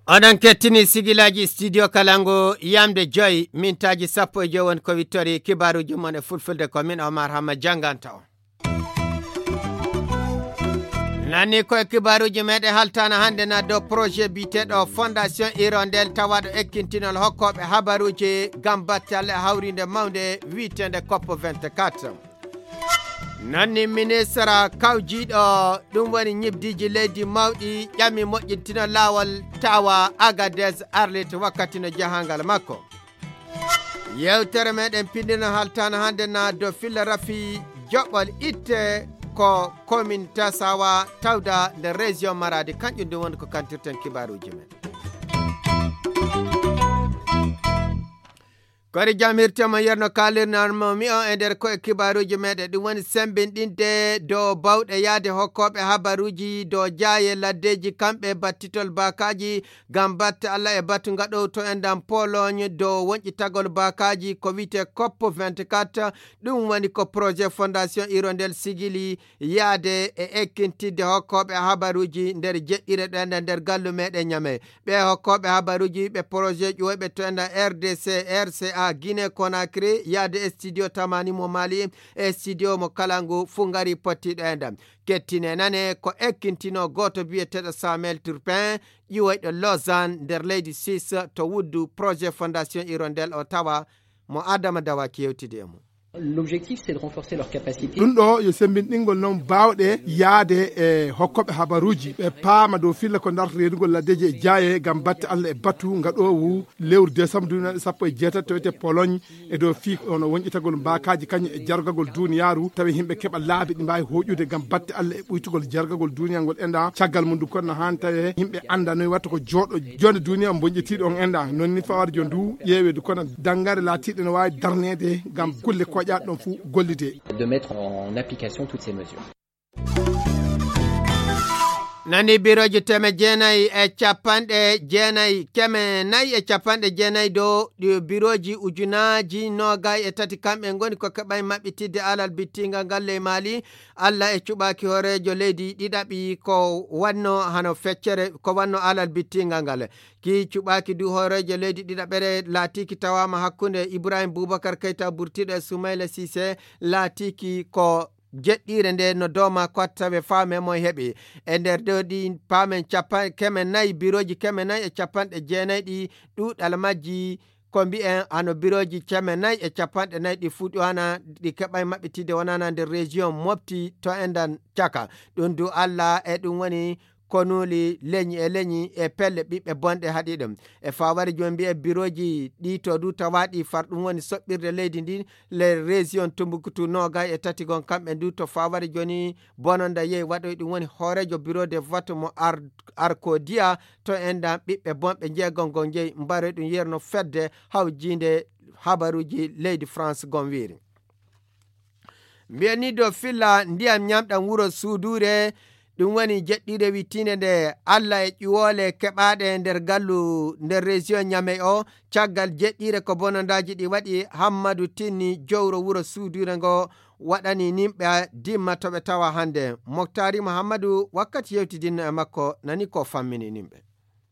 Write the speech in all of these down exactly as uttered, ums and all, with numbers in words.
Oɗon kettini sigilaaji studio Kalangu, yamde joy, mintaaji sappo e joy woni ko wittori kibaaruuji mon e fulfulde, ko min Omar Hamma jannganta on. Nanni ko e kibaaruuji meɗen haltaana hannde na dow projet biyeteeɗo Fondation Hirondelle tawaaɗo ekkintinol hokkooɓe habaruuji ngam batte Alla e hawriinde mawnde wiyeteende cop vingt-quatre. Nanni ministre kawjiiɗo ɗum woni ñibdiiji leydi mawɗi ƴami moƴƴintino laawol tawa Agadez Arlit wakkati no jahangal makko. Yewtere meɗen pinndino haltaana hannde na dow filla rafi joɓol itte ko commune Tasawa tawda nder région Maradi, kanƴum ɗum woni ko kantirten kibaaruuji men. Kori jam hirtema yerno kaalirnanmo mi on e nder koye kibaaruuji meɗen, ɗum woni sembinɗinde dow bawɗe yaade hokkooɓe habaruuji dow jaaye laddeeji kamɓe battitol baakaaji ngam batte Alla e batu ngaɗow to enɗam Pologne dow wonƴitagol baakaaji ko wiyetee cop vingt-quatre. Ɗum woni ko projet Fondation Hirondelle sigili yaade e ekkintidde hokkooɓe habaruuji nder jeɗɗire ɗo enɗam nder gallu meɗen Ñame. Ɓe hokkooɓe habaruuji ɓe projet ƴuwoyɓe to enɗam R D C, R C A, Guinée Conakry, yaade e studio Tamani mo Mali, e studio mo Kalangu fuu ngari pottiiɗo enɗam. Kettine nane ko ekkintinoo gooto biyeteeɗo Samuel Turpin, ƴiwoyɗo Lausanne nder leydi Suisse to wuddu projet Fondation Hirondelle o tawa mo Adama Dawaki yewtidi e mum. L'objectif, c'est de renforcer leur capacité. Ɗum ɗo yo sembinɗingol noon baawɗe yaade e hokkooɓe habaruuji, ɓe paama dow filla ko darta reenugol laddeeji e jaaye ngam batte Alla e batu ngaɗoowu lewru décembre duuɓi sappo e jeetati to wiyetee Pologne, e dow fii ono wonƴitagol mbaakaaji kañum e jargagol duuniyaaru, tawi yimɓe keɓa laabi ɗi mbaawi hooƴude ngam batte Alla e ɓuytugol jargagol duuniyaaru ngol enɗam. Caggal mum ɗum kono no haani tawi yimɓe annda noy watta ko jooɗo jonde duuniyaaru mbonƴitiiɗo on enɗam. Noon ni fawar jo ndu ƴeeweede kono danngaare laatiiɗe no waawi darneede ngam kulle koƴaaɗe ɗon fuu gollidee. De mettre en application toutes ces mesures. Nani birooji teme jeenayi e capanɗe jeenayi, keme nayi e capanɗe jeenayi dow ɗi birooji ujunaaji noogay e tati kamɓe ngoni ko keɓay maɓɓitidde alal bittingal ngal ley Maali. Alla e cuɓaaki hooreejo leydi ɗiɗaɓi ko wanno hano feccere, ko wanno alal bittingal ngal. Ki cuɓaaki du hooreejo leydi ɗiɗaɓere laatiiki tawaama hakkunde Ibrahim Boubacar Keita burtiiɗo e Soumaïla Cissé laatiiki ko jeɗɗiire nde no dooma ko tawe faame mo heɓi. E nder ɗo ɗi paamen capa-, keme nayi, birooji keme nayi e capanɗe jeenayi ɗi ɗuuɗal majji ko mbi'en hano birooji keme nayi e capanɗe nayi ɗi fuu ɗi wana ɗi keɓay maɓɓitide wonana nder région Mopti to enɗan caka. Ɗum du Alla e ɗum woni konuuli leñi e leñi e pelle ɓiɓɓe bonɗe haɗi ɗum. E faaware jooni mbi'e birooji ɗi to du tawaaɗi far ɗum woni soɓɓirde leydi ndi le région Tumbuktu noogay e tati gon kamɓe du to faaware jooni bononda yehi waɗoy ɗum woni hooreejo bureau de vote mo Ar-, Arkodia to enɗan ɓiɓɓe bonɓe jeegom gon jeyi mbaroy ɗum yerno fedde hawjiinde habaruuji leydi France gon wiiri. Mbiyen ni dow filla ndiyam ñamɗam wuro suuduure, ɗum woni jeɗɗiire wittiinde nde Alla e ƴuwoole keɓaaɗe nder gallu nder région Ñamey o, caggal jeɗɗiire ko bonondaaji ɗi waɗi Hammadu Tinni jowro wuro suuduure ngo waɗani nimɓe dimma to ɓe tawa hannde. Moktaari Muhammadu wakkati yewtidinno e makko nani ko fammini nimɓe.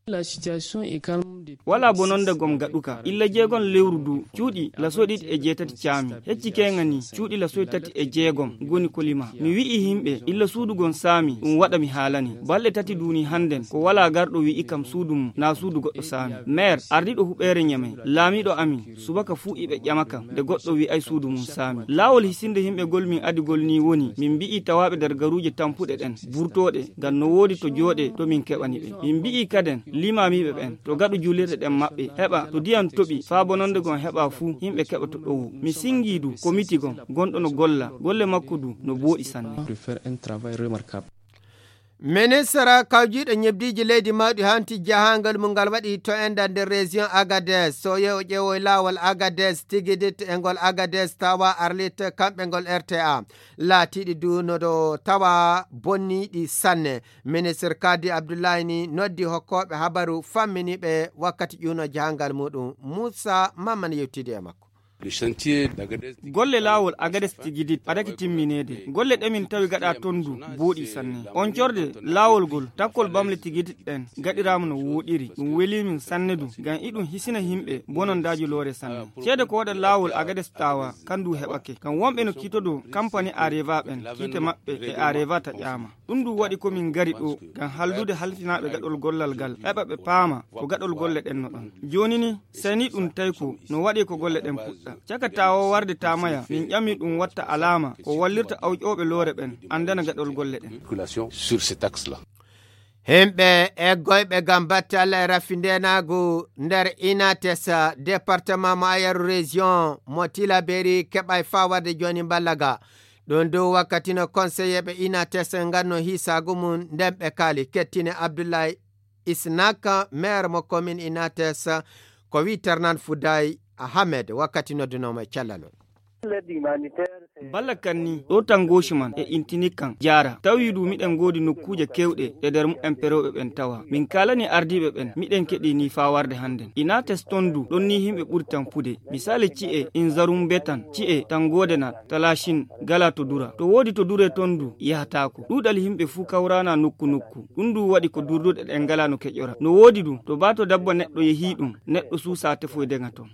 La situation est calme depuis Wala bononde gom gaɗuka. Illa jeegom lewru du. Cuuɗi lasoy ɗiɗi e jeetati caami. Hecci keeŋa ni, cuuɗi lasoy tati e jeegom goni kolima. Mi wi'i himɓe, illa suudu gon saami, ɗum waɗa mi haalani. Balɗe tati duuni hannden, ko wala garɗo wi'i kam suudu mum, naa suudu goɗɗo saami. Meer, ardiiɗo huɓeere Ñamey, laamiiɗo amin, subaka fuu iɓe ƴama kam, nde goɗɗo wi'ay suudu mum saami. Laawol hisinde himɓe gol min adi gol ni woni, min mbi'i tawaaɓe nder garuuje tampuɗe ɗen, burtooɗe, ngam no woodi to jooɗe to min keɓani ɓe. Min mbi'i kaden, limaamiiɓe ɓen, to gaɗu juulirɗe ɗen maɓɓe, heɓa, to diyam toɓi, faa bononde gon heɓa fuu, himɓe keɓa to ɗowo. Mi singii du, komiti gon, gonɗo no golla, golle makko du, no booɗi sanne. De faire un travail remarquable. Ministre kawjiiɗo ñebdiiji leydi mawɗi hanti jahaangal mum ngal waɗi to enɗan nder région Agadez. So yeewo ƴeewoy laawol Agadez, Tigidit e ngol Agadez tawa Arlit, kamɓe ngol R T A. Laatiiɗi du no ɗo tawa bonniiɗi sanne. Ministre Kadi Abdullahi ni noddi hokkooɓe habaru famminiiɓe wakkati ƴuuno jahaangal muɗum. Muusa Mamman yewtidi e makko. Golle laawol Agades Tigidit adaki timmineede. Golle ɗe min tawi gaɗa ton du booɗi sanne. On corde laawol gol takkol bamle Tigidit ɗen gaɗiraama no wooɗiri. Ɗum weli min sanne du ngam iɗum hisina yimɓe bonondaaji loore sanne. Ceede ko waɗa laawol Agades tawa kan du heɓake. Ngam wonɓe no kiitodo kampani Areva ɓen kiite maɓɓe e Areva taƴaama. Ɗum du waɗi ko min ngari ɗo ngam hallude halfinaaɓe gaɗol gollal ngal heɓa ɓe paama ko gaɗol golle ɗen no ɗon. Jooni ni seni ɗum tawi ko no waɗi ko golle ɗen puɗɗa. Caka tawo warde tamaya min ƴami ɗum watta alaama ko wallirta awƴooɓe loore ɓen anndana gaɗol golle ɗen. Sur cet axe-là. Himɓe eggoyɓe ngam battal rafindenaagu nder Inates, département mo Ayeru, région mo Tilaberi, keɓay faa warde jooni mballa ga. Ɗum dow wakkati no konseyeeɓe Inates nganno hiisaagu mum nden ɓe kaali. Kettine Abdoulaye Isnaka, maire mo commune Inates, ko wi Ternan Fouday Ahmed wakkati noddunoomo e cellal on. Balla kan ni ɗo tan gooshi man e intini kan jaara tawi du miɗen ngoodi nokkuuje kewɗe e nder mumen perewɓe ɓen tawa. Min kaalani ardiiɓe ɓen miɗen keɗi ni faa warde hannden. Inates ton du ɗon ni yimɓe ɓuri tampude. Misali ci'e Inzarum Betan, ci'e Tangodenat, Talashin, gala to dura. To woodi to dure ton du yahataako. Ɗuuɗal yimɓe fuu kawrana nokku nokku. Ɗum du waɗi ko durduɗe ɗen ngala no keƴora. No woodi du to baa to dabba neɗɗo yehii ɗum, neɗɗo suusa tefoyde nga ton.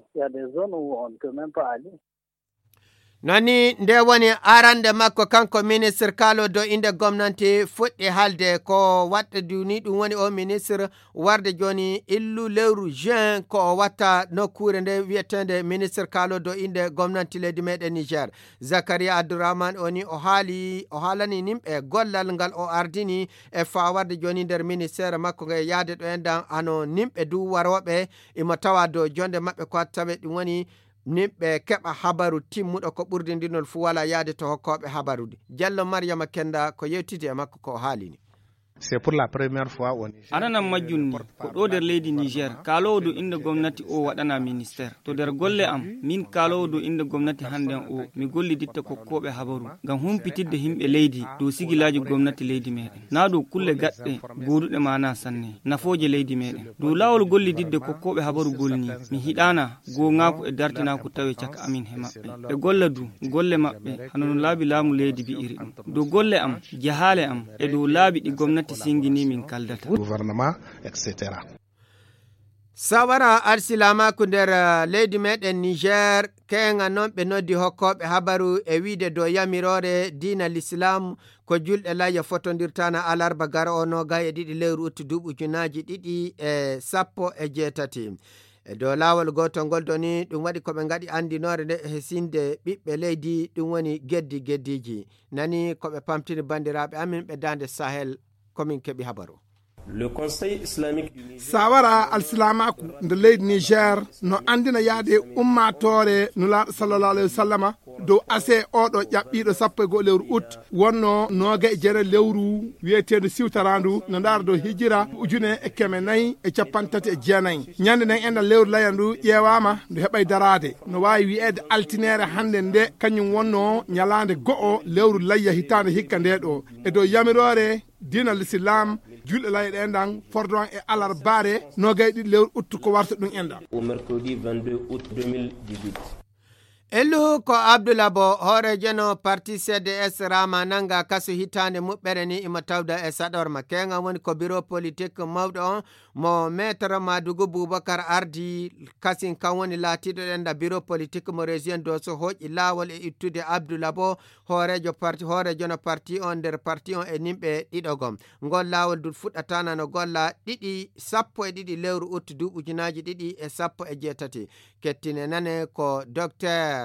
Nani nde woni arande makko kanko ministre kaalo dow innde gomnanti fuɗɗi haalde ko waɗde du ni ɗum woni o ministre warde jooni illu lewru juin ko o watta nokkuure nde wiyeteende ministre kaalo dow innde gomnanti leydi meɗen Niger. Zakaria Abdourahmane o ni o haali, o haalani nimɓe gollal ngal o ardini e faa warde jooni nder ministère makko ngal yaade ɗo en dan hano nimɓe du warooɓe imo tawa dow jonde maɓɓe ko tawe ɗum woni nimɓe keɓa habaru timmuɗo ko ɓurdindinol fuu wala yaade to hokkooɓe habarude. Jallo Mariama Kenda ko yewtidi e makko ko o haalini. C'est pour la première fois au Niger. Ananan majjum ni ko ɗo nder leydi Niger kaaloowo dow innde gomnati o waɗana ministère. To nder golle am min kaaloowo dow innde gomnati hannden o mi golliditta kokkooɓe habaru ngam humpitidde yimɓe leydi dow sigilaaji gomnati leydi meɗen. Naa dow kulle gaɗɗe gooduɗe maana sanne nafooje leydi meɗen. Dow laawol gollididde kokkooɓe habaru gol ni mi hiɗaana goongaaku e dartinaaku tawe caka amin he maɓɓe. Ɓe golla du golle maɓɓe hano no laabi laamu leydi bi'iri ɗum. Dow golle am, jahaale am e dow laabi ɗi gomnati singini min kaldata. Gouvernement, et cetera. Sawara alsilaamaaku nder, eh, leydi meɗen Niger, keeŋa non ɓe noddi hokkooɓe habaru e wiide dow yamiroore diina Lislaam ko julɗe layya fotondirtaana alarba garo o noogay e ɗiɗi lewru utti duuɓi ujunaaji ɗiɗi e sappo e jeetati. E dow laawol gootol ngol doni ɗum waɗi ko ɓe ngaɗi anndinoore nde e hesinde ɓiɓɓe leydi, ɗum woni geddi geddiiji. Nani ko ɓe pamtini banndiraaɓe amin ɓe daande Sahel, ko min keɓi habaru. Le Conseil Islamique du Niger. Sawara alsilaamaaku nde leydi Niger no anndina yaade ummaatoore Nulaaɗo sallallahu alayhi wa sallama dow ase oɗo ƴaɓɓiiɗo sappo e go'o lewru ut wonno nooga e jeere lewru wiyeteendu siwtaraandu no ndaara dow hijira ujune e keme nayi e capanɗe tati e jeenayi. Ñande nden enɗan lewru layandu ƴeewaama ndu heɓay daraade. No waawi wiyeede altineere hannde nde kañum wonno ñalaande go'o lewru layya hitaande hikka nde ɗo. E dow yamiroore diina Lislaam, julɗe layya ɗe enɗan fordon e alarbaare noogay ɗiɗi lewru ut ko warta ɗum enɗan. Au mercredi vingt-deux août deux mille dix-huit. Elluhu ko Abdoulabo, hooreejo no parti C D S Rahama nanga kaso hitaande muɓɓere ni imo tawda e saɗorma. Keeŋa woni ko biro politik mawɗo on mo Maître Madugu Boubacar ardi kasin kan woni laatiiɗo ɗenɗa biro politik mo région Dosso hooƴi laawol e ittude Abdoulabo, hooreejo parti, hooreejo no parti on nder parti on e nimɓe ɗiɗo gom. Ngol laawol dut fuɗɗatana no golla ɗiɗi, sappo e ɗiɗi lewru ut duuɓi ujunaaji ɗiɗi e sappo e jeetati. Kettine nane ko Docteur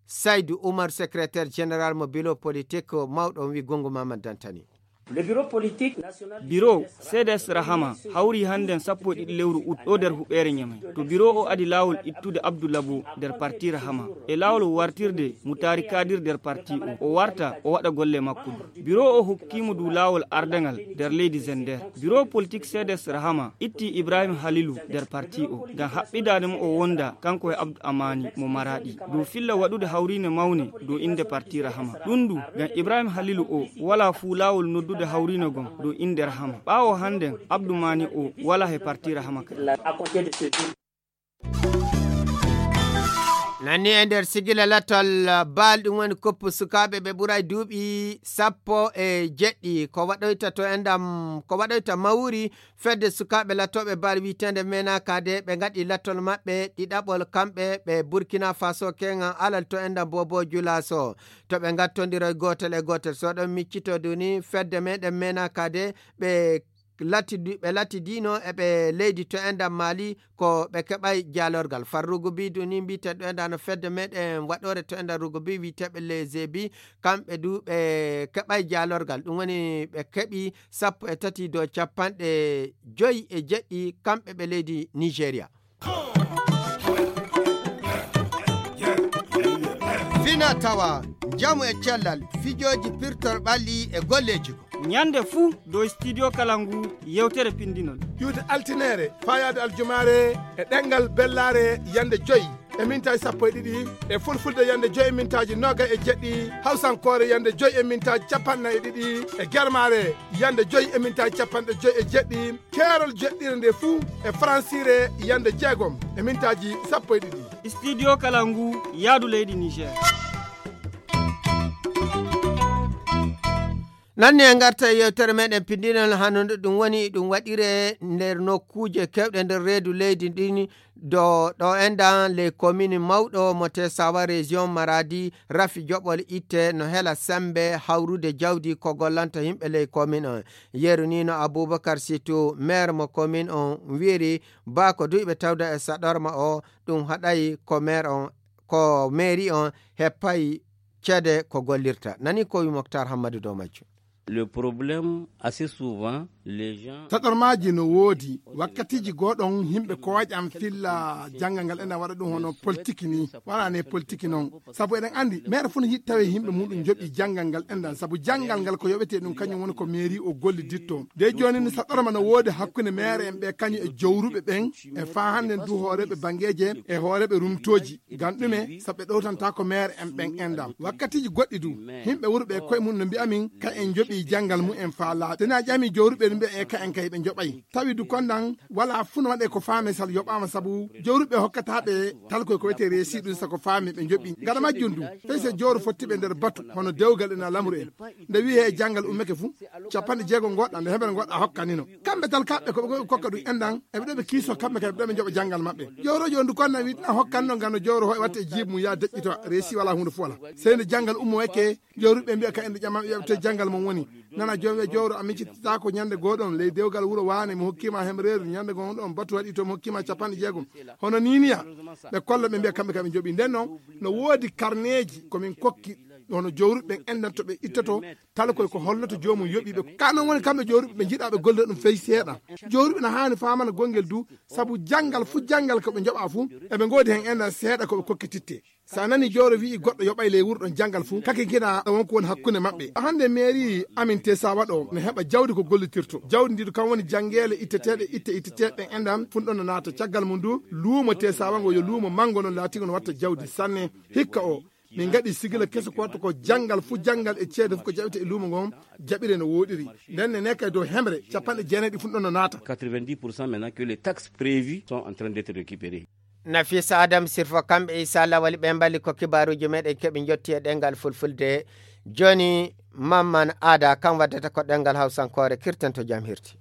Saydou Oumar, secrétaire général mo biro politique mawɗo on wi Gungu Mamad Dantani. Le bureau politique national du Biro C D S Rahama hawri hannden sappo e ɗiɗi lewru ut ɗo nder huɓeere Ñamey. To biro o adi laawol ittude Abdou Labo nder parti Rahama. E laawol wartirde Mutari Kadir nder parti o. O warta o waɗa golle makko du. Biro o hokkimo du laawol ardangal nder leydi Zender. Biro politique C D S Rahama itti Ibrahim Halilu nder parti o ngam haɓɓidaade mo o wonda kanko e Abdou Amani mo Maraɗi dow filla waɗude hawriine mawne dow innde parti Rahama. Ɗum du ngam Ibrahim Halilu o walaa fuu laawol noddude hawriine gom dow innde Rahama. Ɓaawo hannden Abdou Mani o walaa he parti Rahama kadi. Nani e nder sigila latol, baal ɗum woni koppu sukaaɓe ɓe ɓuray duuɓi sappo e jeɗɗi. Ko waɗoyta to enɗam, ko waɗoyta mawri fedde sukaaɓe latooɓe baal wiiteende Mena Kade, ɓe ngaɗi latol maɓɓe ɗiɗaɓol kamɓe ɓe Burkina Faso keŋan alal to enɗam Bobo Julaso. To ɓe ngattondiroy gootel e gootel, so ɗon miccito duni fedde meɗen Mena Kade, ɓe lati-, ɓe latidino e ɓe leydi to enɗam Mali, ko ɓe keɓay jaalorgal. Farrugu bi duni mbiyeten ɗo enɗa no fedde meɗen waɗore to enɗam rugu bi wiyeteɓe les Ebi, kamɓe du ɓe keɓay jaalorgal. Ɗum woni ɓe keɓi sappo e tati dow capanɗe joyi e jeɗɗi, kamɓe ɓe leydi Nigeria. Fina tawa, njamu e cellal, fijooji pirtor ɓalli e golleeji ko. Ñande fuu dow Studio Kalangu, yewtere pinndinol. Ƴuwde altineere, faayaade aljumaare, e ɗemngal bellaare, yande joyi e mintaaji sappo e ɗiɗi, e fulfulde yande joyi e mintaaji noogay e jeɗɗi, hawsankoore yande joyi e mintaaji capanɗe nayi e ɗiɗi, e germaare yande joyi e mintaaji capanɗe joyi e jeɗɗi, keerol jeɗɗire nde fuu e faransiire yande jeegom e mintaaji sappo e ɗiɗi. Studio Kalangu, yaadu leydi Niger. Nanni en ngarta e yewtere meɗen pinndinol, hano ɗum woni ɗum waɗire nder nokkuuje kewɗe nder reedu leydi ndin, do ɗo enɗan ley komini mawɗo mo Tesawa, région Maradi, rafi joɓol itte no hela sembe hawrude jawdi ko gollanta yimɓe ley komin on. Yeru ni no Abubakar Situ, maire mo komin on, wiiri ba ko duyɓe tawda e saɗorma o, ɗum haɗay ko maire on, ko mairie on heppay ceede ko gollirta. Nani ko wi Moktar Hammadu dow majjum. Le problème, assez souvent, les gens... Taɗormaaji no woodi. Wakkatiiji gooɗon, yimɓe kooƴan filla janngal ngal ena waɗa ɗum hono politique ni. Waɗaani politique noon. Sabu eɗen anndi, maire fof no yiɗi tawi yimɓe muɗum njoɓi janngal ngal enɗan. Sabu janngal ngal ko yoɓetee ɗum, kañum woni ko mairie o golliditto. Nde jooni ni, saɗorma no woodi hakkunde maire en ɓe kañum e jowruɓe ɓen, e faa hannden du hooreeɓe banngeeje e hooreeɓe rumtooji. Ngam ɗume? Sabu ɓe ɗowtantaako maire en ɓen enɗan. Wakkatiiji goɗɗi du, yimɓe wuro ɓe koye mum no mbi'a min, ka en njoɓi janngal mum en faa laaɓi. Tena ƴami jowruɓe no mbi'a e ka en kay ɓe njoɓay. Tawi du konɗan, wala fuu no waɗe ko faame sal yoɓaama sabu jowruɓe hokkata ɓe talkoy ko wiyetee reesi ɗum sako faami ɓe njoɓi. Gaɗa majjum du, fay so jowro fotti ɓe nder batu, hono dewgal ena lamru en. Nde wi'i he janngal ummake fuu, capanɗe jeego ngoɗɗa, nde heɓere ngoɗɗa hokkanino. Kamɓe tal kaɓɓe ko ɓe kokka ɗum enɗan, eɓe ɗo ɓe kiiso kamɓe kay, ɓe ɗo ɓe njoɓa janngal maɓɓe. Jowrojo on du konɗan wi'i tena hokkanno ngam no jowro hoy watte jiibi mum yaa deƴƴito, reesi wala huunde fuu wala. Sey nde janngal ummo wakke, jowruɓe mbi'a ka en nde ƴama ɓe ƴeɓte janngal mon woni. Nana joom e jowro a miccitata ko ñande gooɗon ley dewgal wuro waane mi hokkima hemreeru, ñande gon ɗon batu waɗi to mi hokkima capanɗe jeegom. Hono niniya, ɓe kolla ɓe mbi'a kamɓe kam ɓe njoɓi. Nden noon, no woodi karneeji ko min kokki, hono jowruɓe ɓen enɗan to ɓe ittoto, tala koy ko holloto joomum yoɓi ɓe. Ka noon woni kamɓe jowruɓe ɓe njiɗa ɓe gollira ɗum fey seeɗa. Jowruɓe no haani faamana gonngel du, sabu janngal fuu janngal ko ɓe njoɓa fuu, eɓe ngoodi heen enɗan seeɗa ko ɓe kokkititte. So a nani jowro wi'i goɗɗo yoɓay ley wuro ɗon janngal fuu, kake ngina won ko woni hakkunde maɓɓe. Hannde mairie amin Tesawa ɗo no heɓa jawdi ko gollitirto. Jawdi ndi du kam woni janngeele itteteeɗe, itte itteteeɗe ɗen enɗan fuu ɗon no naata. Caggal mum du, luumo Tesawa ngo yo luumo manngo non laatigo no watta jawdi sanne. Hikka o, min ngaɗi sigila keso ko watta ko janngal fuu janngal e ceede fuu ko jaɓete e luumo ngon, jaɓire no wooɗiri. Nden ne ne kay dow hemre, capanɗe jeenayi ɗi fuu ɗon no naata. Quatre-vingt-dix pour cent maintenant que les taxes prévues sont en train d'être récupérées. Nafisa Adam Sirfo, kamɓe Isa Lawal ɓe mbali ko kibaaruuji meɗen keɓi njotti e ɗemngal fulfulde. Jooni Mamman Aada, kam waddata ko ɗemngal Hawsankoore, kirten to jam hirti.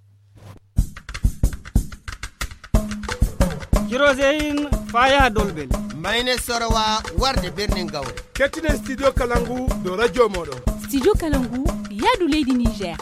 Kiroseyin faa yaha Dolbel. Mayne Sorowa warde Birnin Gawle. Kettinen Studio Kalangu dow radio mooɗon. Studio Kalangu, yaadu leydi Niger.